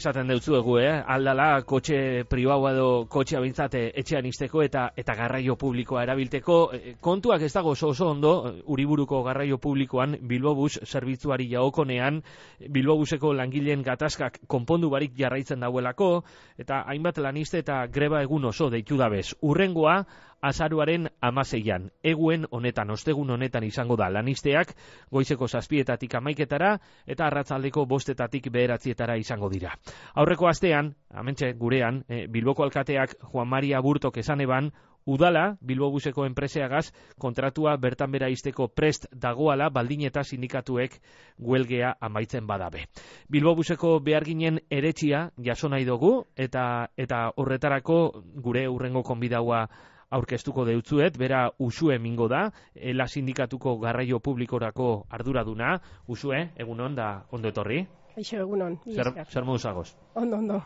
esaten deutzuegu, aldala kotxe pribaua edo kotxea bintzat etxean izteko eta garraio publikoa erabilteko. Kontuak ez dago oso ondo, Uriburuko garraio publikoan Bilbobus zerbitzuari jaokonean, Bilbobuseko langileen gatazkak konpondu barik jarraitzen dauelako, eta hainbat laniste eta greba egun oso deitu dabez. Urrengoa, azaruaren 16an, eguen honetan, ostegun honetan izango da lanisteak, goizeko 7:00 11:00 eta arratsaldeko 5:00 9:00 izango dira. Aurreko astean, hementxe gurean, Bilboko alkateak Juan Maria Burtok esan eban, udala, Bilbobuseko enpreseagaz, kontratua bertan bera izteko prest dagoala, baldin eta sindikatuek huelgea amaitzen badabe. Bilbobuseko beharginen eretxia jaso nahi dugu, eta horretarako gure urrengo konbidaua aurkeztuko deutzuet, bera Usue mingo da, ELA sindikatuko garraio publikorako arduraduna. Usue, egunon da ondo etorri? Aixo, egunon. Zer modu zagoz? Ondo.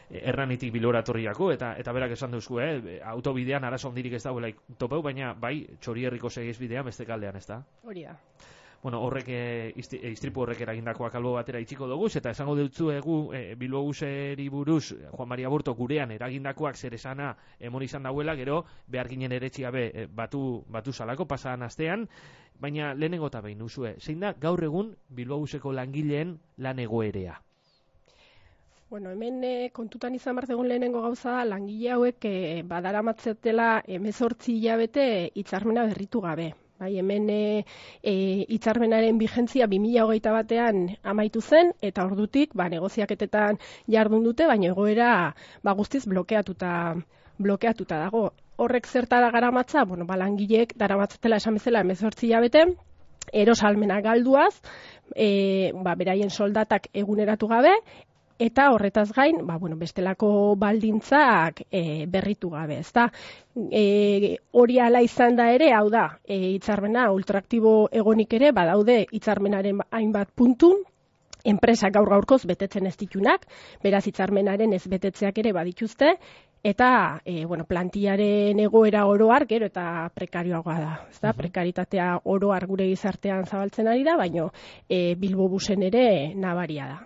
Erranitik Bilbora etorriako, eta berak esan duzu, autobidean arazo handirik ez dauela topeu, baina bai, Txorierriko segiesbidean beste kaldean, ez da? Hori da. Bueno, horrek, istripu horrek eragindakoak albo batera itxiko dugu, eta esango dutzu egu Bilbobuseri buruz, Juan Maria Burto gurean eragindakoak zer esana emon izan dauela, gero behar ginen eretxia batu salako pasadan astean, baina lehenengo eta behin, Usue, zein da gaur egun Bilbobuseko langileen lan egoerea? Bueno, hemen kontutan izan bartegun lehenengo gauza, langile hauek badaramatzetela 18 hilabete hitzarmena berritu gabe. Bai, hemen hitzarmenaren bigentzia 2021an amaitu zen, eta ordutik negoziaketetan jardun dute, baina egoera guztiz blokeatuta dago. Horrek zertara garamatza, langileek daramatzatela esan bezala 18 hilabete, erosalmena galduaz, beraien soldatak eguneratu gabe, eta horretaz gain, bestelako baldintzak berritu gabe, ezta? Hori ala izan da ere, hau da, hitzarmena ultraaktibo egonik ere, badaude hitzarmenaren hainbat puntu, enpresak gaur-gaurkoz betetzen ez ditunak, beraz hitzarmenaren ez betetzeak ere badituzte, eta plantillaren egoera oroar gero eta prekarioagoa da. Ezta? Prekaritatea oroar gure gizartean zabaltzen ari da, baina Bilbobusen ere nabaria da.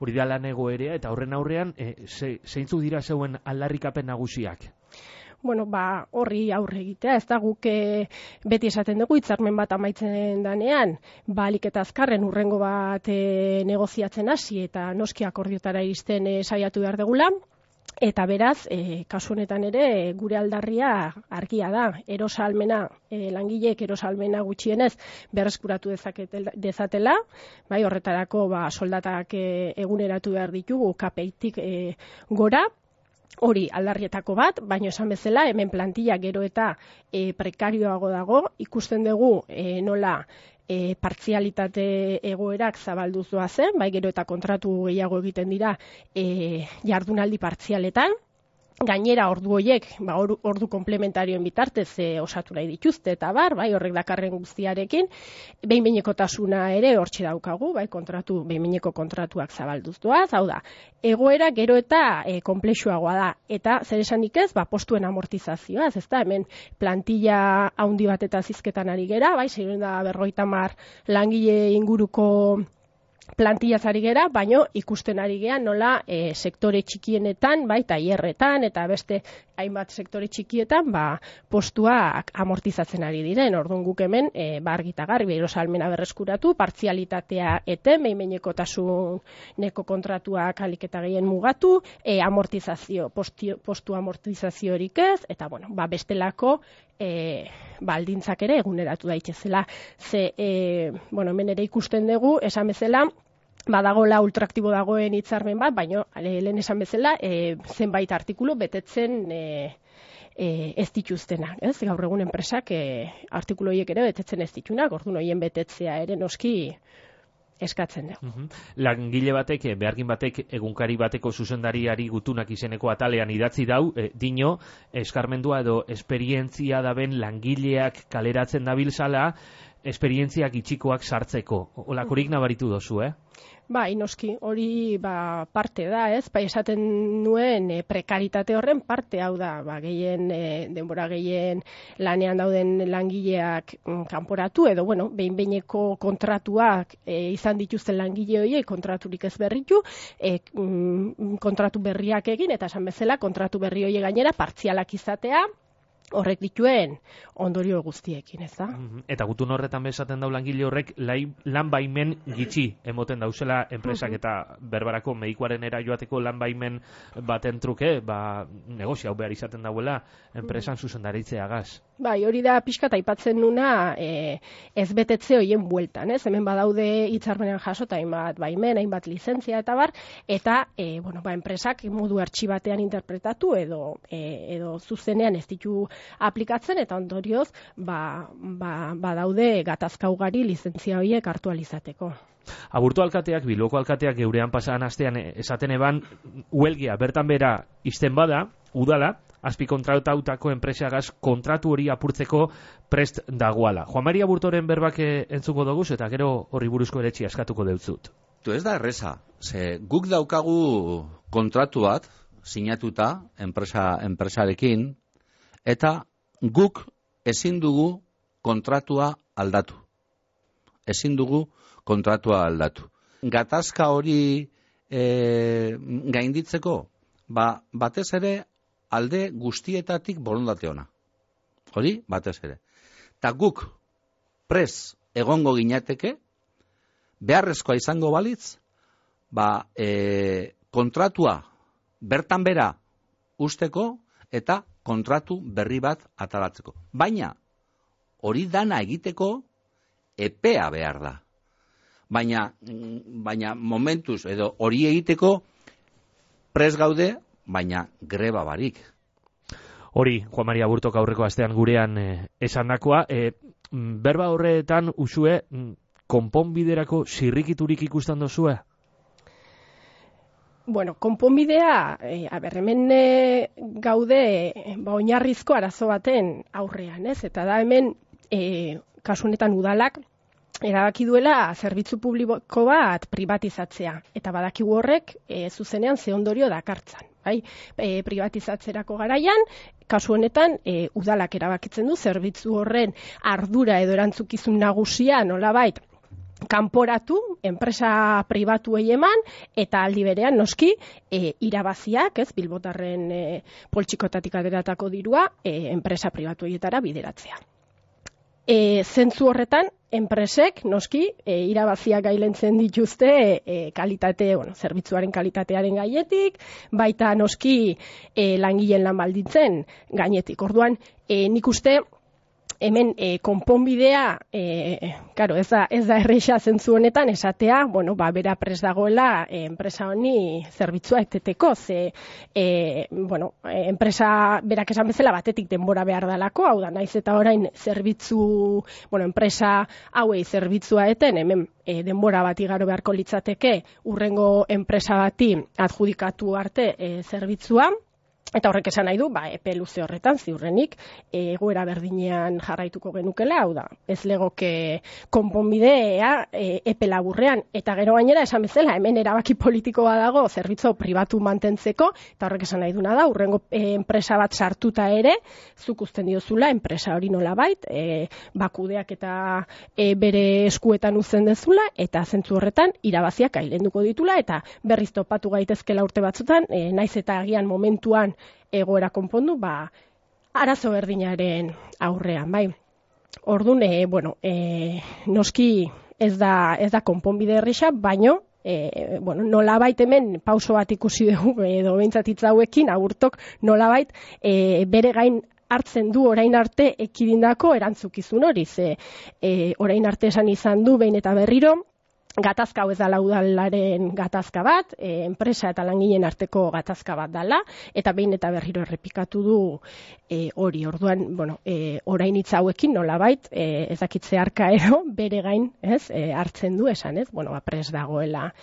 Hori da lan egoerea, eta horren aurrean, zeintzuk dira zeuen aldarrikapen nagusiak? Horri aurre egitea, ez da guk beti esaten dugu, hitzarmen bat amaitzen danean, alik eta azkarren urrengo bat negoziatzen hasi, eta noski akordiotara iristen saiatu behar degula. Eta beraz, kasu honetan ere, gure aldarria argia da, erosalmena, langileek erosalmena gutxienez berreskuratu dezatela, bai, horretarako soldatak eguneratu behar ditugu KPI-tik gora, hori aldarrietako bat, baina esan bezala, hemen plantilla gero eta prekarioago dago, ikusten dugu nola partzialitate egoerak zabalduz doazen, bai gero eta kontratu gehiago egiten dira jardunaldi partzialetan, gainera ordu horiek, ordu komplementarioen bitartez osatu nahi dituzte eta bai horrek dakarren guztiarekin, behin-behinekotasuna ere hortxe daukagu, bai behin-behineko kontratuak zabalduz doaz, hau da, egoera gero eta konplexuagoa da, eta zer esanik ez, postuen amortizazioaz, ez da, hemen plantilla haundi bat eta zizketan ari gera, bai 650 langile inguruko plantillaz ari gera, baino ikusten ari gera nola sektore txikienetan, bai, tailerretan eta beste hainbat sektore txikietan, postuak amortizatzen ari diren. Orduan guk hemen argi eta garbi erosalmena berreskuratu, partzialitatea eten, behin-behinekotasuneko kontratuak ahalik eta gehien mugatu, amortizazio, postu amortizaziorik ez, eta bestelako baldintzak ere eguneratu daitezela. Hemen ere ikusten dugu, esan bezala, badagola ultraaktibo dagoen hitzarmen bat, baina lehen esan bezala, zenbait artikulu betetzen ez dituztenak. Gaur egun enpresak artikulu horiek ere betetzen ez ditunak, orduan horien betetzea ere noski eskatzen dugu. Langile batek, behargin batek, egunkari bateko zuzendariari gutunak izeneko atalean idatzi dau, dino, eskarmendua edo esperientzia daben langileak kaleratzen dabiltzala, esperientziak itxikoak sartzeko. Olakorik nabaritu dozu, Bai, noski, hori parte da, ez? Esaten nuen prekaritate horren parte hau da, gehien denbora gehien lanean dauden langileak kanporatu edo behin-behineko kontratuak izan dituzten langile horiek kontraturik ez berritu, kontratu berriak egin eta esan bezala kontratu berri horiek gainera partzialak izatea, horrek dituen ondorio guztiekin, ez da? Eta gutun horretan bezaten dau langile horrek lan baimen gitxi emoten dauzela enpresak eta berbarako medikuaren era joateko lan baimen baten truke, negozio hau behar izaten dauela enpresan zuzendaritzeagaz. Bai, hori da pixkat aipatzen nuna ez betetze horien bueltan, ez? Hemen badaude hitzarmenean jasota hainbat baimen, hainbat lizentzia eta bar, eta enpresak modu artxibatean interpretatu edo zuzenean ez ditu aplikatzen eta ondorioz badaude gatazka ugari lizentzia horiek hartu alizateko. Aburto alkateak, Bilboko alkateak geurean pasadan astean esaten eban huelgia bertan bera izten bada, udala, azpikontratautako enpresagaz kontratu hori apurtzeko prest dagoala. Juan Maria Aburtoren berbak entzuko dugu eta gero horri buruzko eretxia eskatuko deutzut. Ez da erreza, guk daukagu kontratu bat sinatuta enpresarekin eta guk ezin dugu kontratua aldatu. Gatazka hori gainditzeko, batez ere alde guztietatik borondate ona. Hori, batez ere. Ta guk pres egongo ginateke, beharrezkoa izango balitz, kontratua bertan bera usteko eta kontratu berri bat atalatzeko. Baina, hori dana egiteko epea behar da. Baina momentuz, edo hori egiteko pres gaude, baina greba barik. Hori, Juan Maria Aburtok aurreko astean gurean esandakoa, berba horretan usue konponbiderako zirrikiturik ikusten dozue? Konponbidea, hemen gaude oinarrizko arazo baten aurrean, ez? Eta da hemen, kasu honetan udalak, erabaki duela zerbitzu publiko bat privatizatzea. Eta badakigu horrek zuzenean ze ondorio dakartzan. Privatizatzerako garaian, kasu honetan, udalak erabakitzen du zerbitzu horren ardura edo erantzukizun nagusia nolabait kanporatu, enpresa pribatuei eman, eta aldi berean noski irabaziak, bilbotarren poltsikotatik ateratako dirua, enpresa pribatueietara bideratzea. Zentzu horretan, enpresek noski irabaziak gailentzen dituzte zerbitzuaren kalitatearen gainetik, baita noski langileen lan baldintzen gainetik. Orduan, nik uste hemen konponbidea, ez da erresa zentzu honetan esatea, bera prest dagoela enpresa honi zerbitzua eteteko, enpresa berak esan bezala batetik denbora behar dalako, hau da, naiz eta orain zerbitzu, enpresa hauei zerbitzua eten, hemen denbora bat igaro beharko litzateke urrengo enpresa bati adjudikatu arte zerbitzua. Eta horrek esan nahi du, epe luze horretan, ziurrenik, egoera berdinean jarraituko genukela, hau da, ez legoke konponbidea epe laburrean. Eta gero gainera esan bezala, hemen erabaki politikoa dago zerbitzu pribatu mantentzeko, eta horrek esan nahi duna da, urrengo enpresa bat sartuta ere, zuk usten diozula, enpresa hori nolabait, bakudeak eta bere eskuetan uzten dezula, eta zentzu horretan irabaziak ailenduko ditula, eta berriz topatu gaitezkela urte batzutan, naiz eta agian momentuan egoera konpondu, arazo berdinaren aurrean, bai. Orduan, noski ez da konponbide erresa, baino, nolabait hemen pauso bat ikusi dugu, edo behintzatitza hauekin, Aburtok nolabait bere gain hartzen du orain arte ekidindako erantzukizun hori, orain arte esan izan du behin eta berriro, gatazka hau ez dela udalaren gatazka bat, enpresa eta langileen arteko gatazka bat dela, eta behin eta berriro errepikatu du hori. Orduan, orain hitz hauekin nolabait, ez dakitze arka ero, bere gain hartzen du esan, ez? Pres dagoela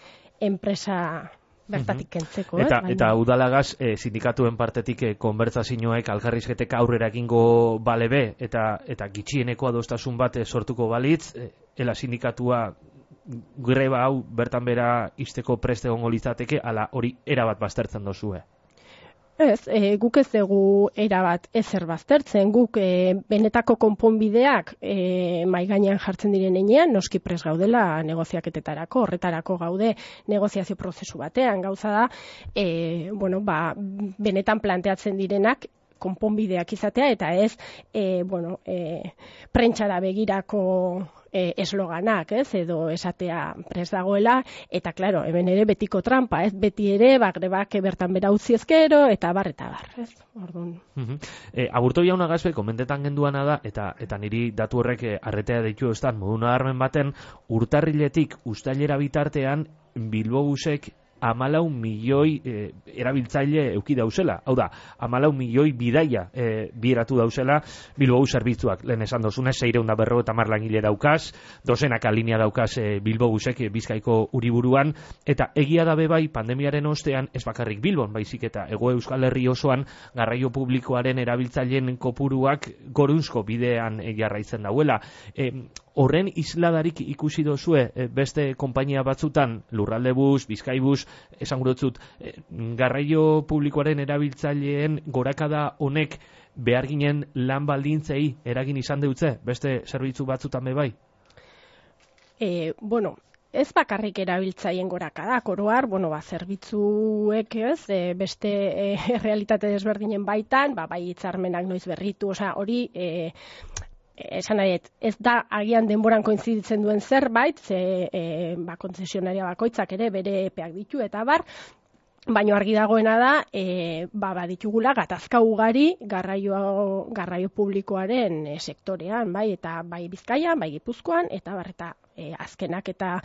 enpresa bertatik kentzeko. Eta udalagaz sindikatuen partetik konbertsazioek alkarrizketek aurrera egingo balebe eta gitxieneko adostasun bat sortuko balitz, ela sindikatua greba hau bertan bera izteko preste egongo litzateke, ala hori erabat baztertzen dozue. Ez, guk ez dugu erabat ezer baztertzen, guk benetako konponbideak mahai gainean jartzen diren heinean, noski prest gaudela negoziaketetarako, horretarako gaude negoziazio prozesu batean, gauza da, benetan planteatzen direnak konponbideak izatea, eta ez, prentxara begirako esloganak, edo esatea prest dagoela, eta klaro, hemen ere betiko trampa, beti ere, grebak bertan bera utzi ezkero, eta bar, ez? Orduan. Aburto jauna gazbe, komentetan genduana da, eta niri datu horrek arretea deitu estan, modu nabarmen baten, urtarriletik uztailera bitartean, Bilbobusek 14 milioi erabiltzaile euki dauzela. Hau da, 14 milioi bidaia bieratu dauzela Bilbobus zerbitzuak. Lehen esan dozunez, 650 langile daukaz, dozenaka linea daukaz Bilbobusek Bizkaiko Uriburuan, eta egia da bai pandemiaren ostean, ez bakarrik Bilbon, baizik eta Hego Euskal Herri osoan garraio publikoaren erabiltzaileen kopuruak gorunzko bidean jarraitzen dauela. Horren isladarik ikusi dozue beste konpainia batzutan, Lurraldebus, Bizkaibus, esan gurotzut, garraio publikoaren erabiltzaileen gorakada honek behar ginen lan baldintzei eragin izan deutze, beste zerbitzu batzutan bai? Ez bakarrik erabiltzaien gorakada, oroar, zerbitzuek beste realitate desberdinen baitan, bai hitzarmenak noiz berritu, hori esan nahi, ez da agian denboran koinziditzen duen zerbait, kontzesionaria bakoitzak ere bere epeak ditu eta bar, baina argi dagoena da, baditugula gatazka ugari garraio publikoaren sektorean, eta bai Bizkaian, bai Gipuzkoan, eta bar, eta azkenak eta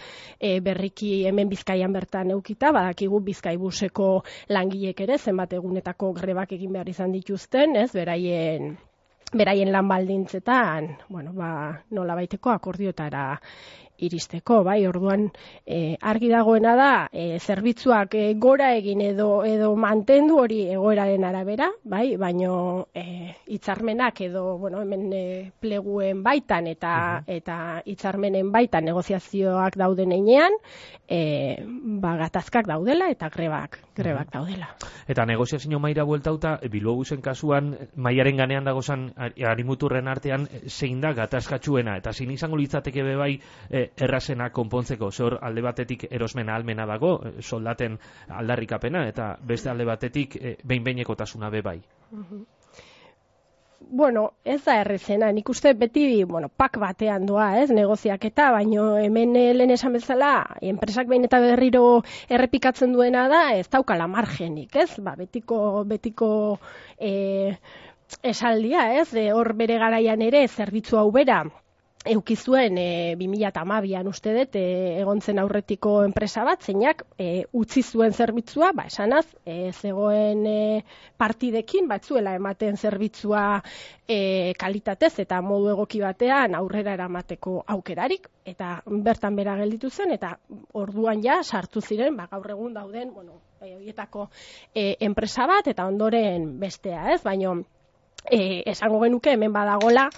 berriki hemen Bizkaian bertan eukita, badakigu Bizkaibuseko langilek ere, zenbat egunetako grebak egin behar izan dituzten, beraien lan baldintzetan, nola baiteko akordiotara iristeko, orduan argi dagoena da, zerbitzuak gora egin edo mantendu hori egoeraren arabera, baino hitzarmenak edo, hemen pleguen baitan eta hitzarmenen baitan negoziazioak dauden heinean, gatazkak daudela eta grebak daudela. Eta negoziazio maira bueltauta, Bilbobusen kasuan, maiaren ganean dagozan harimuturren artean, zein da gatazkatsuena, eta zein izango litzateke bai errazena konpontzeko, zor alde batetik erosmen ahalmena dago, soldaten aldarrikapena, eta beste alde batetik behin-behinekotasuna bai. Ez da errezena, nik uste beti pak batean doa, negoziaketa, baino hemen lehen esan bezala, enpresak behin eta berriro errepikatzen duena da, ez daukala margenik, betiko esaldia, hor bere garaian ere zerbitzu hau bera, eukizuen 2012an uste dut egon zen aurretiko enpresa bat, zeinak utzi zuen zerbitzua, esanaz, zegoen partidekin, batzuela ematen zerbitzua kalitatez eta modu egoki batean aurrera eramateko aukerarik, eta bertan bera gelditu zen, eta orduan ja sartu ziren, gaur egun dauden, horietako enpresa bat, eta ondoren bestea, baino, esango genuke hemen badagola,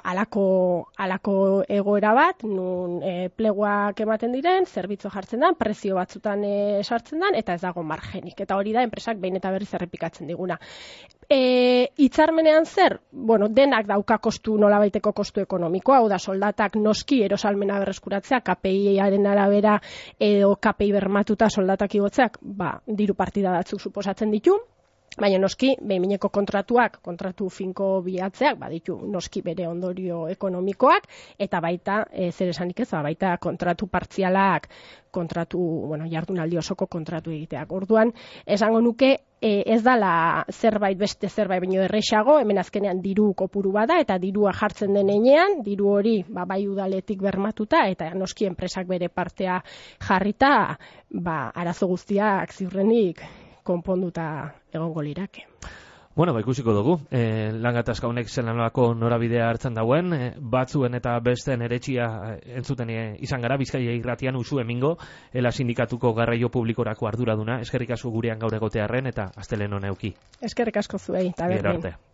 alako egoera bat, nun pleguak ematen diren, zerbitzu jartzen da, prezio batzutan sartzen da, eta ez dago margenik. Eta hori da, enpresak behin eta berriz errepikatzen diguna. Hitzarmenean zer? Denak dauka kostu, nolabaiteko kostu ekonomikoa, hau da, soldatak noski erosalmena berreskuratzea, KPI-aren arabera edo KPI bermatuta soldatak igotzeak, diru partida batzuk suposatzen ditu, baina noski, behin-behineko kontratu finko bilatzeak, baditu noski bere ondorio ekonomikoak, eta baita, zer esanik ez, baita kontratu partzialak, jardunaldi osoko kontratu egiteak. Orduan, esango nuke, ez dala beste zerbait baino erresago, hemen azkenean diru kopuru bada, eta dirua jartzen den heinean, diru hori bai udaletik bermatuta, eta noski enpresak bere partea jarrita, arazo guztiak ziurrenik konponduta egongo lirake. Bueno, ikusiko dugu, lan gatazka honek zelanolako norabidea hartzen dauen, batzuen eta besteen eretxia entzuten izan gara, Bizkaia irratian Usu Emingo, Ela sindikatuko garraio publikorako arduraduna, eskerrik asko gurean gaur egotearren eta astelen honeuki. Eskerrik asko zuei, eta Gero berdin. arte.